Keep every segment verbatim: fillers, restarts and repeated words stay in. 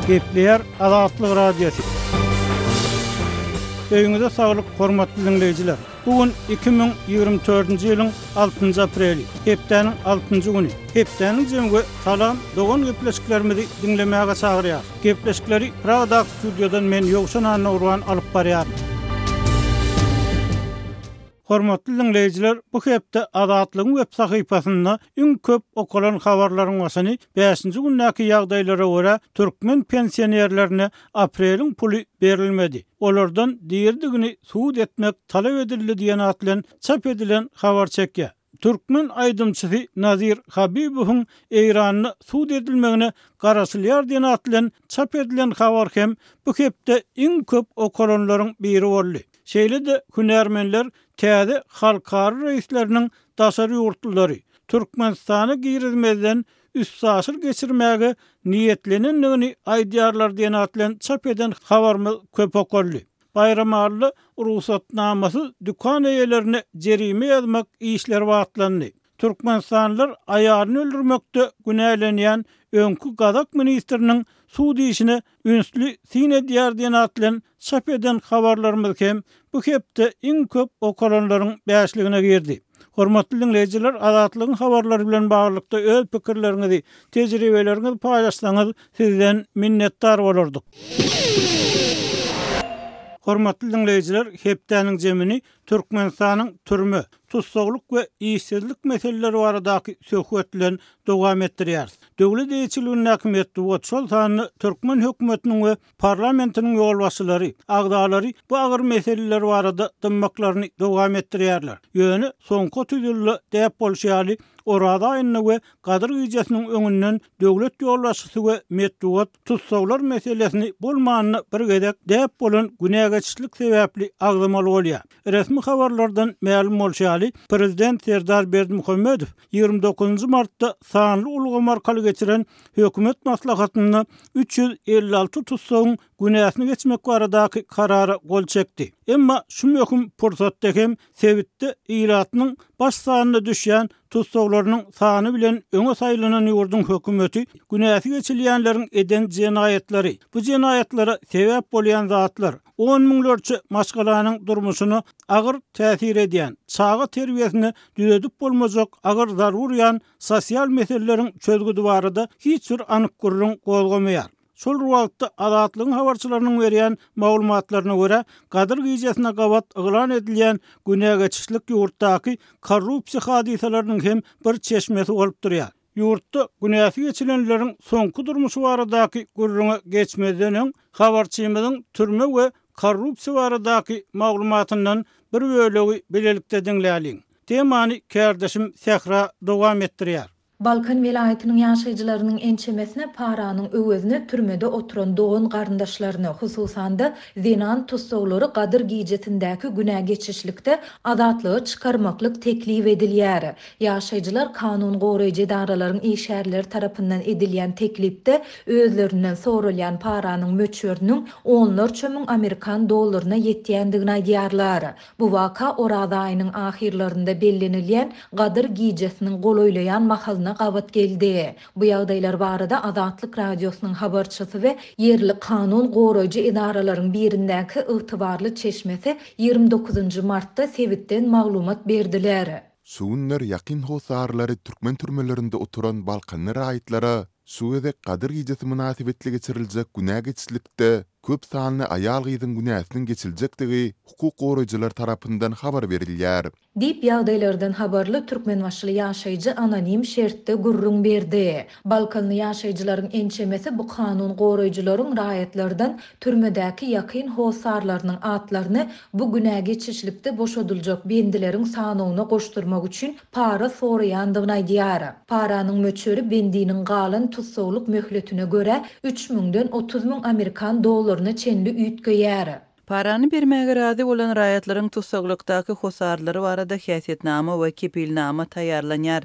Gepleýär Azatlyk Radiosy. Öýüňize saglyk, hormatly diňleýjiler. Bu gün iki müň ýigrimi dördünji ýylyň altynjy apreli, hepdäniň altynjy güni. Hepdäniň jemi we Salam dogan gepleşiklerimizi diňlemäge çagyrýar. Gepleşikleri Pragadaky studiýadan men Ýowşan Annagurban alyp barýaryn. Hormatly diňleýjiler, bu hepde Azatlygyň web sahypasynda iň köp okalan habarlaryň başyny bäşinji gündäki ýagdaýlara görä türkmen pensionerlerine apreliň puly berilmedi. Olardan diridigini subut etmek talap edildi diýen at bilen çap edilen habar çekýär. Türkmen aýdymçysy Nazir Habibowyň Eýranda sud edilmegine garaşylýar diýen at bilen çap edilen habar hem bu hepde iň köp okalanlaryň biri boldy. Şeýle-de hünärmenler täze halkara reýsleriniň daşary ýurtlulary Türkmenistana girizmezden üstaşyr geçirmäge niýetlenendigini aýdýarlar diýen at bilen çap eden habarymyz köp okaldy. Baýramalyda rugsatnamasyz dükan eýelerine jerime ýazmak işleri batlandy. Türkmenistanlylar aýalyny öldürmekde günälenýän öňki gazak ministriniň sud işine ünsli syn edýär diýen at bilen çap eden habarlarymyz hem bu hepde iň köp okalanlaryň bäşligine girdi. Hormatly diňleýjiler, Azatlygyň habarlary bilen baglylykda öz pikirleriňizi, tejribeleriňizi paýlaşsaňyz, sizden minnetdar bolardyk. Hormatly diňleýjiler, hepdäniň jemini Türkmenistanyň türme, tussaglyk we işsizlik meseleleri baradaky söhbet bilen dowam etdirýäris. Döwlet eýeçiligindäki metbugat, şol sanda türkmen hökümetiniň we parlamentiniň ýolbaşçylary, agzalary bu agyr meseleler barada dymmaklaryny dowam etdirýärler. Ýöne soňky otuz ýylda däp bolşy ýaly, Oraza aýynda we Gadyr gijesiniň öňünden döwlet ýolbaşçysy we metbugat tussaglar meselesini bolmanda bir gezek däp bolan günä geçişlik sebäpli agzamaly bolýar. Resmi habarlardan mälim bolşy ýaly, prezident Serdar Berdimuhamedow ýigrimi dokuzynjy martda sanly ulgam arkaly geçiren hökümet maslahatynda üç ýüz elli alty tussagyň günäsini geçmek baradaky karara gol çekdi. Emma şu möhüm pursatda hem sebitde ilatynyň baş sanyna düşýän tussaglarynyň sany bilen öňe saýlanan ýurduň hökümeti günäsi geçilýänleriň eden jenaýatlary, bu jenaýatlara sebäp bolýan zatlar, on müňlerçe maşgalanyň durmuşyna agyr täsir edýän, çaga terbiýesine düzedip bolmajak agyr zarba urýan sosial meseleleriň çözgüdi barada hiç bir anyk gürrüň gozgamaýar. Şol bir wagtda Azatlygyň habarçylarynyň berýän maglumatlaryna görä, Gadyr gijesine gabat yglan edilýän günä geçişlik ýurtdaky korrupsiýa hadysalarynyň hem bir çeşmesi bolup durýar. Ýurtda günäsi geçilenleriň soňky durmuşy baradaky gürrüňe geçmezden öň, habarçymyzyň türme we korrupsiýa baradaky maglumatyndan bir bölegi bilelikde diňläliň. Temany kärdeşim Sähra dowam etdirýär. Balkan welaýatynyň ýaşaýjylarynyň ençemesine paranyň öwezine türmede oturan dogan garyndaşlaryny, hususan-da, zenan tussaglary Gadyr gijesindäki günä geçişlikde azatlyga çykarmaklyk teklip edilýär. Ýaşaýjylar kanun goraýjy edaralaryň işgärleri tarapyndan edilýän teklipde özlerinden soralýan paranyň möçberiniň onlarça müň amerikan dollaryna ýetýändigini aýdýarlar. Bu waka Oraz aýynyň ahyrlarynda bellenilýän Gadyr gijesiniň golaýlaýan mahalyna gabat geldi. Bu ýagdaýlar barada Azatlyk Radiosynyň habarçysy we ýerli kanun goraýjy edaralaryň birindäki ygtybarly çeşmesi ýigrimi dokuzynjy martda sebitden maglumat berdiler. Şu günler ýakyn hossarlary türkmen türmelerinde oturan balkanly raýatlara şu gezek Gadyr gijesi mynasybetli geçiriljek günä geçişlikde köp sanly aýal-gyzyň günäsiniň geçiljekdigi hukuk goraýjylar tarapyndan habar berilýär. Diýip, ýagdaýlardan habarly türkmenbaşyly ýaşaýjy anonim şertde gürrüň berdi. Balkanly ýaşaýjylaryň ençemesi bu kanun goraýjylaryň raýatlardan türmedäki ýakyn hossarlarynyň atlaryny bu günä geçişlikde boşadyljak bendileriň sanawyna goşdurmak üçin para soraýandygyny aýdýar. Paranyň möçberi bendiniň galan tussaglyk möhletine görä üç müňden otuz müň amerikan dollaryna çenli üýtgeýär. Parany bermäge razy bolan raýatlaryň tussaglykdaky hossarlary barada häsiýetnama we kepilnama taýýarlanýar.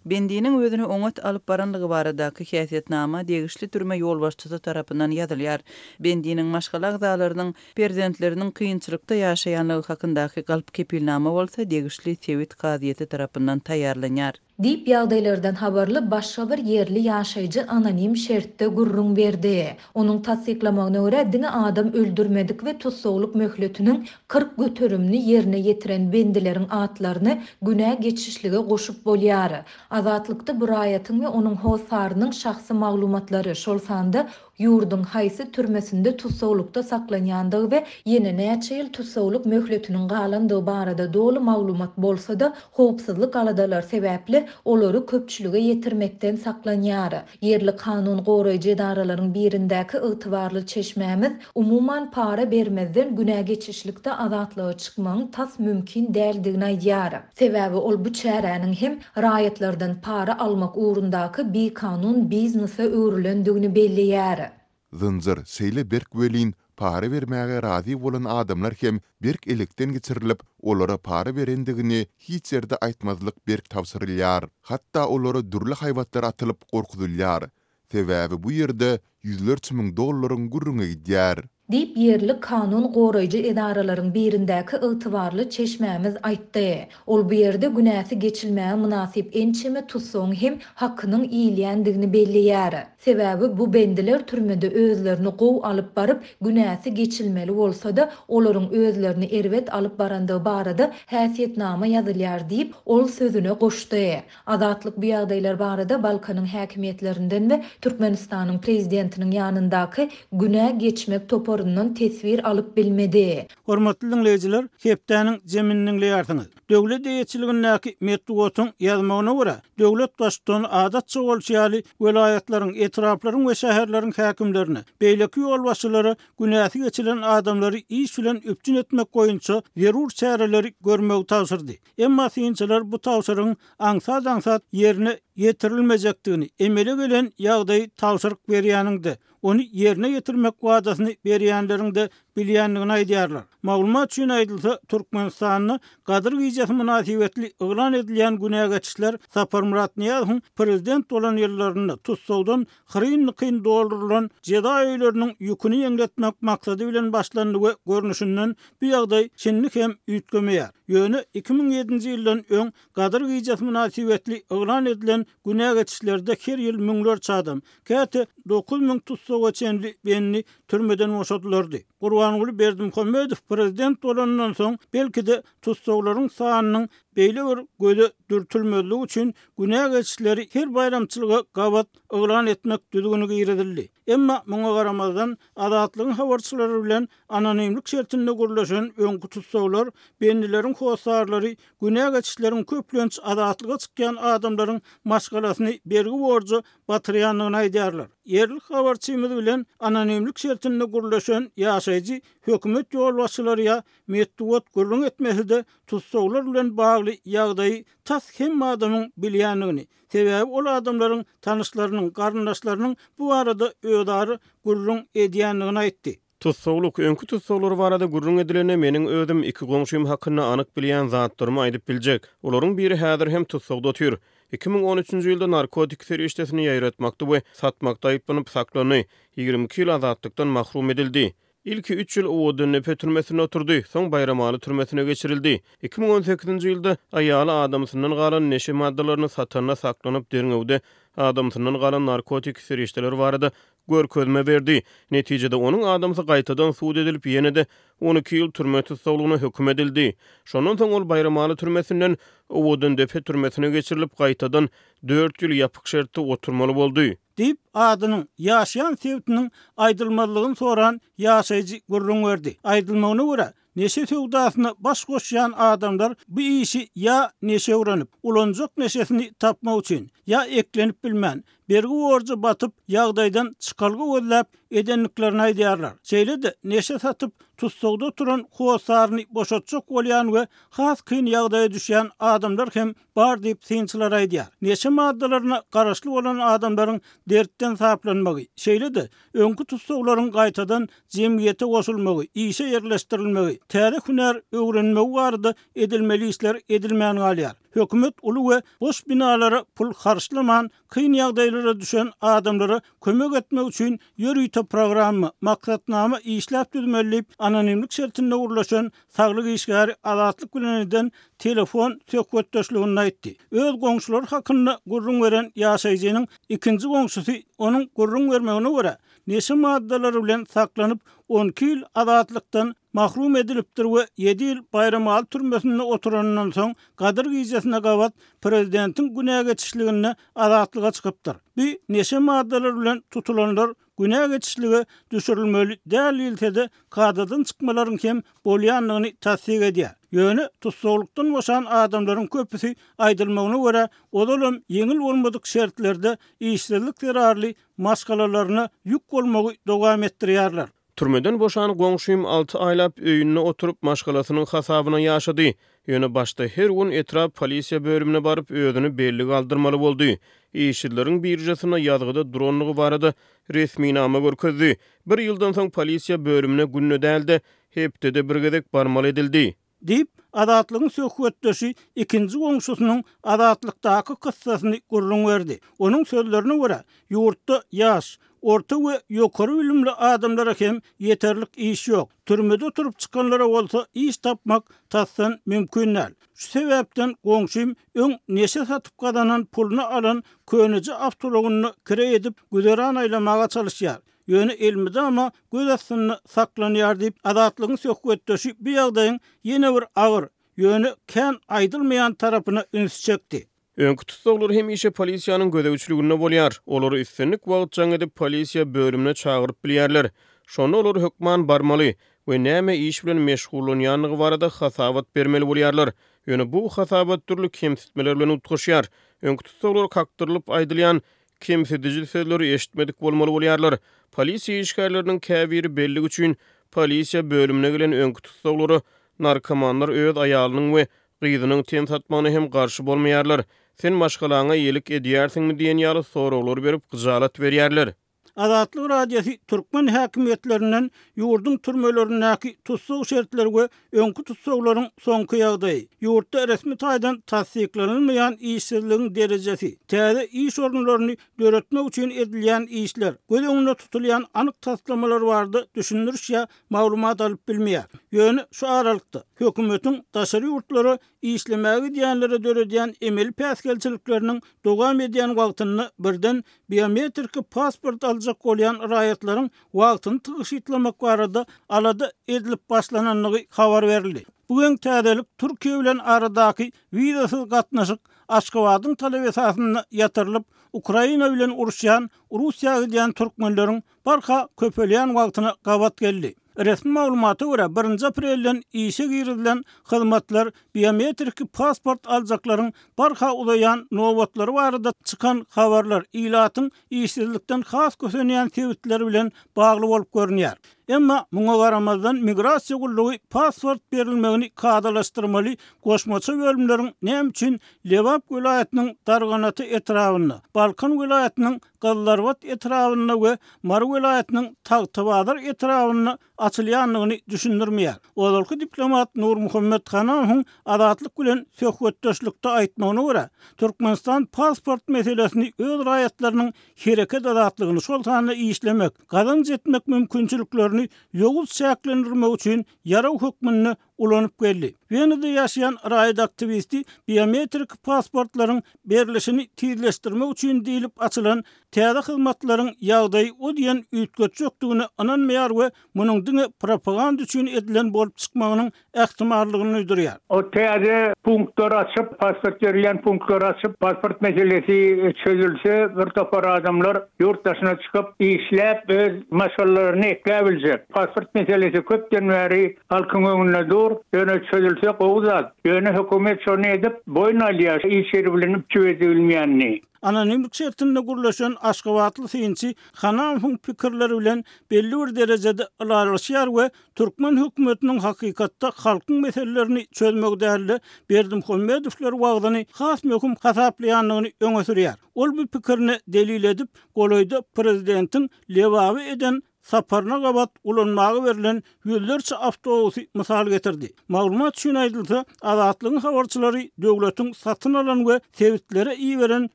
Bendiniň özüni oňat alyp baranlygy baradaky häsiýetnama degişli türme ýolbaşçysy tarapyndan ýazylýar. Bendiniň maşgala agzalarynyň, perzentleriniň kynçylykda ýaşaýanlygy hakyndaky galp kepilnama bolsa degişli sebit kazyýeti tarapyndan taýýarlanýar. Diýip, ýagdaýlardan habarly başga bir ýerli ýaşaýjy anonim şertde gürrüň berdi. Onuň tassyklamagyna görä, diňe adam öldürmedik we tussaglyk möhletiniň kyrk göterimini ýerine ýetiren bendileriň atlaryny günä geçişlige goşup bolýar. Azatlykda bu raýatyň we onuň hossarynyň şahsy maglumatlary, şol sanda ýurduň haýsy türmesinde tussaglykda saklanýandygy we ýene näçe ýyl tussaglyk möhletiniň galandygy barada doly maglumat bolsa-da, howpsuzlyk aladalary sebäpli olary köpçülige ýetirmekden saklanýar. Ýerli kanun goraýjy edaralaryň birindäki ygtybarly çeşmämiz, umuman, para bermezden günä geçişlikde azatlyga çykmagyň tas mümkin däldigini aýdýar. Sebäbi ol bu çäräniň hem raýatlardan para almak ugrundaky bikanun biznese öwrülendigini belleýär. Zynjyr şeýle berk welin, para bermäge razy bolan adamlar hem berk elekden geçirilip, olara para berendigini hiç ýerde aýtmazlyk berk tabşyrylýar. Hatda olara dürli haýbatlar atylyp gorkuzylýar. Sebäbi bu ýerde ýüzlerçe müň dollaryň gürrüňi gidýär. Diýip, ýerli kanun goraýjy edaralaryň birindäki ygtybarly çeşmämiz aýtdy. Ol bu ýerde günäsi geçilmäge mynasyp ençeme tussagyň hem hakynyň iýilýändigini belleýär. Sebäbi bu bendiler türmede özlerini gowy alyp baryp, günäsi geçilmeli bolsa-da, olaryň özlerini erbet alyp barandygy barada häsiýetnama ýazylýar diýip, ol sözüne goşdy. Azatlyk bu ýagdaýlar barada Balkanyň häkimiýetlerinden we Türkmenistanyň prezidentiniň ýanyndaky günä geçmek toparyndan teswir alyp bilmedi. Hormatly diňleýjiler, hepdäniň jemini diňleýärsiňiz. Döwlet eýeçiligindäki metbugatyň ýazmagyna görä, döwlet baştutany adatça bolşy ýaly welaýatlaryň, etraplaryň we şäherleriň häkimlerine, beýleki ýolbaşçylara günäsi geçilen adamlary iş bilen üpjün etmek boýunça zerur çäreleri görmegi tabşyrdy. Emma synçylar bu tabşyrygyň aňsat-aňsat ýerine ýetirilmejekdigini, emele gelen ýagdaýy tabşyryk berýäniň-de, ony ýerine ýetirmek wadasyny berýänleriň-de bilýändigini aýdýarlar. Maglumat üçin aýdylsa, Türkmenistanda Gadyr gijesi mynasybetli yglan edilýän günä geçişler Saparmyrat Nyýazowyň prezident bolan ýyllarynda tussagdan hyryn-dykyn doldurylan jeza öýleriniň ýüküni ýeňletmek maksady bilen başlandy we görnüşinden bu ýagdaý şindi hem üýtgemeýär. Ýöne iki müň ýedinji ýyldan öň Gadyr gijesi mynasybetli yglan edilen günä geçişlerde her ýyl müňlerçe adam, käte dokuz müň tussaga çenli bendi türmeden boşadylardy. Gurbanguly Berdimuhamedow prezident bolanyndan soň, belki-de, tussaglaryň sanynyň beýle bir göze dürtülmezligi üçin günä geçişleri her baýramçylyga gabat yglan etmek düzgüni girizildi. Emma muňa garamazdan, Azatlygyň habarçylary bilen anonimlik şertinde gürleşen öňki tussaglar bendileriň hossarlary günä geçişleriň köplenç azatlyga çykýan adamlaryň maşgalasyny bergi-borja batyrýandygyny aýdýarlar. Ýerli habarçymyz bilen anonimlik şertinde gürleşen ýaşaýjy hökümet ýolbaşçylary ýa metbugat gürrüň etmese-de, tussaglar bilen bagly ýagdaýy tas hemme adamyň bilýändigini, sebäbi ol adamlaryň tanyşlarynyň, garyndaşlarynyň bu barada özara gürrüň edýändigini aýtdy. Tussaglyk, öňki tussaglar barada gürrüň edilende, meniň özüm iki goňşym hakynda anyk bilýän zatlarymy aýdyp biljek. Olaryň biri häzir hem tussagda otyr. Iki müň on üçünji ýylda narkotik serişdesini ýaýratmakda we satmakda aýyplanyp saklandy. Ýigrimi iki ýyl azatlykdan mahrum edildi. Ilki üç ýyl Owadandepe türmesinde oturdy, soň Baýramaly türmesine geçirildi. Iki müň on sekizinji ýylda aýaly adamsyndan galan neşe maddalaryny satanda saklanyp, derňewde adamsyndan galan narkotik serişdeler barada görkezme berdi. Netijede onuň adamsy gaýtadan sud edilip, ýene-de on iki ýyl türme tussaglygyna höküm edildi. Şondan soň ol Baýramaly türmesinden Owadandepe türmesine geçirilip, gaýtadan dört ýyl ýapyk şertde oturmaly boldy. Diýip, adynyň, ýaşaýan sebitiniň aýdylmazlygyny soran ýaşaýjy gürrüň berdi. Aýdylmagyna görä, neşe söwdasyna baş goşýan adamlar bu işi ýa neşe öwrenip, ulanjak neşesini tapmak üçin, ýa eklenip bilmän, bergi-borja batyp, ýagdaýdan çykalga gözläp edendiklerini aýdýarlar. Şeýle-de, neşe satyp, tussagda oturan hossaryny boşatjak bolýan we has kyn ýagdaýa düşýän adamlar hem bar diýip, synçylar aýdýar. Neşe maddalaryna garaşly bolan adamlaryň dertden saplanmagy, şeýle-de, öňki tussaglaryň gaýtadan jemgyýete goşulmagy, işe ýerleşdirilmegi, täze hünär öwrenmegi barada edilmeli işler edilmän galýar. Hökümet uly we boş binalara pul harçlaman, kyn ýagdaýly meselelere düşen adamlara kömek etmek üçin ýörite programma, maksatnama işläp düzmeli diýip, anonimlik şertinde gürleşen saglyk işgäri Azatlyk bilen eden telefon söhbetdeşliginde aýtdy. Öz goňşulary hakynda gürrüň beren ýaşaýjynyň ikinji goňşusy onuň gürrüň bermegine görä, neşe maddalary bilen saklanyp, on iki ýyl azatlykdan mahrum edilipdir we ýedi ýyl Baýramaly türmesinde oturanyndan soň Gadyr gijesine gabat prezidentiň günä geçişliginde azatlyga çykypdyr. Bu neşe maddalary bilen tutulanlar günä geçişlige düşürilmeli däl diýilse-de, kadadan çykmalaryň hem bolýandygyny tassyk edýär. Ýöne tussaglykdan boşan adamlaryň köpüsi aýdylmagyna görä, ozalam ýeňil bolmadyk şertlerde işsizlik zerarly maşgalalaryna ýük bolmagy dowam etdirýärler. Türmeden boşan goňşym alty aýlap öýünde oturyp, maşgalasynyň hasabyna ýaşady. Ýöne başda her gün etrap polisiýa bölümine baryp, özüni bellige aldyrmaly boldy. Işsizleriň biržasynda ýazgyda duranlygy barada resminama görkezdi. Bir ýyldan soň polisiýa bölümine günde däl-de, hepdede bir gezek barmaly edildi. Diýip, Azatlygyň söhbetdeşi ikinji goňşusynyň azatlykdaky kyssasyny gürrüň berdi. Onuň sözlerine görä, ýurtda ýaş, orta we ýokary bilimli adamlara hem ýeterlik iş ýok. Türmede oturyp çykanlara bolsa iş tapmak tasdan mümkin däl. Şu sebäpden goňşym öň neşe satyp gazanan puluny alan köneje awtoulagyny kireý edip güzeran aýlamaga çalyşýar. Ýöne elmydama göz astynda saklanýar diýip, Azatlygyň söhbetdeşi bu ýagdaýyň ýene bir agyr, ýöne kän aýdylmaýan tarapyna üns çekdi. Öňki tussaglar hemişe polisiýanyň gözegçiliginde bolýar. Olary islendik wagt jaň edip polisiýa bölümine çagyryp bilýärler. Şonda olar hökman barmaly we näme iş bilen meşgullanýandygy barada hasabat bermeli bolýarlar. Ýöne bu hasabat dürli kemsitmeler bilen utgaşýar. Öňki tussaglar kakdyrylyp aýdylýan kemsidiji sözleri eşitmedik bolmaly bolýarlar. Polisiýa işgärleriniň käbiri bellik üçin polisiýa bölümine gelen öňki tussaglara narkomanlar öz aýalynyň we gyzynyň ten satmagyna hem garşy bolmaýarlar. Sen maşgalaňa iýilik edýärsiňmi diýen ýaly soraglary berip gyjalat berýärler. Azatlyk Radiosy türkmen häkimiýetlerinden ýurduň türmelerindäki tussag şertleri we öňki tussaglaryň soňky ýagdaýy, ýurtda resmi taýdan tassyklanylmaýan işsizligiň derejesi, täze iş orunlaryny döretmek üçin edilýän işler, göz öňünde tutulýan anyk taslamalar barada düşündiriş ýa maglumat alyp bilmeýär. Ýöne şu aralykda hökümetiň daşary ýurtlara işlemäge gidýänlere döredýän emeli päsgelçilikleriniň dowam edýän wagtynda birden biometrik pasport aljak bolýan raýatlaryň wagtyny tygşytlamak barada alada edilip başlanandygy habar berildi. Bugün täzelik Türkiýe bilen aradaky wizasyz gatnaşyk Aşgabadyň talap esasynda ýatyrylyp, Ukraina bilen uruşýan Russiýa gidýän türkmenleriň barha köpelýän wagtyna gabat geldi. Resmi maglumata görä birinji aprelden işe girizilen hyzmatlar biometrik pasport aljaklaryň barha uzaýan nobatlary barada çykan habarlar ilatyň işsizlikden has kösenýän sebitleri bilen bagly bolup görünýär. Emma muňa garamazdan migrasiýa gullugy pasport berilmegini kadalaşdyrmaly goşmaça bölümleriň näme üçin Lebap welaýatynyň Darganata etrabynda, Balkan welaýatynyň Gyzlarbat etrabynda we Mary welaýatynyň Tagtabazar etrabynda açylýandygyny düşündirmeýär. Ozalky diplomat Nurmuhammet Hanamowyň Azatlyk bilen söhbetdeşlikde aýtmagyna görä, Türkmenistan pasport meselesini öz raýatlarynyň hereket azatlygyny, şol sanda işlemek, gazanç etmek mümkinçiliklerini ýowuz çäklendirmek üçin ýaraw hökmünde ulanyp geldi. Wenada ýaşaýan raýat aktiwisti biometrik pasportlaryň berlişini tizleşdirmek üçin diýlip açylan täze hyzmatlaryň ýagdaýy o diýen üýtgetjekdigine ynanmaýar we munuň diňe propaganda üçin edilen bolup çykmagynyň ähtimallygyny duýdurýar. O täze punktlar açyp, pasport berilýän punktlar açyp, pasport meselesi çözülse, bir topar adamlar ýurt daşyna çykyp, işläp, öz maşgalalaryny ekläp biljek. Pasport meselesi köpden bäri halkyň öňünde dur, ýöne çözülse gowy zat. Ýöne hökümet şony edip, boýun alýar, iş ýeri bilen üpjün edilmeýänini. Anonimlik şertinde gürleşen Aşgabatly synçy Hanamowyň pikirleri bilen belli bir derejede ylalaşýar we türkmen hökümetiniň hakykatda halkyň meselelerini çözmegi däl-de, Berdimuhamedowlar wagzyny has möhüm hasaplaýandygyny öňe sürýär. Ol bu pikirini delil edip, golaýda prezidentiň Lebaby eden saparyna gabat ulanmaga berlen ýüzlerçe awtobusy mysal getirdi. Maglumat üçin aýdylsa, Azatlygyň habarçylary döwletiň satyn alan we sebitlere iberen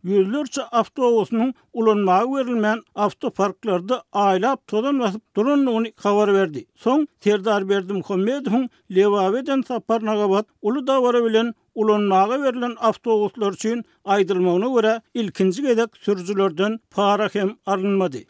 ýüzlerçe awtobusynyň ulanmaga berilmän, awtoparklarda aýlap tozan basyp durandygyny habar berdi. Soň Serdar Berdimuhamedowyň Lebaba eden saparyna gabat uly dabara bilen ulanmaga berlen awtobuslar üçin, aýdylmagyna görä, ilkinji gezek sürüjilerden para hem alynmady.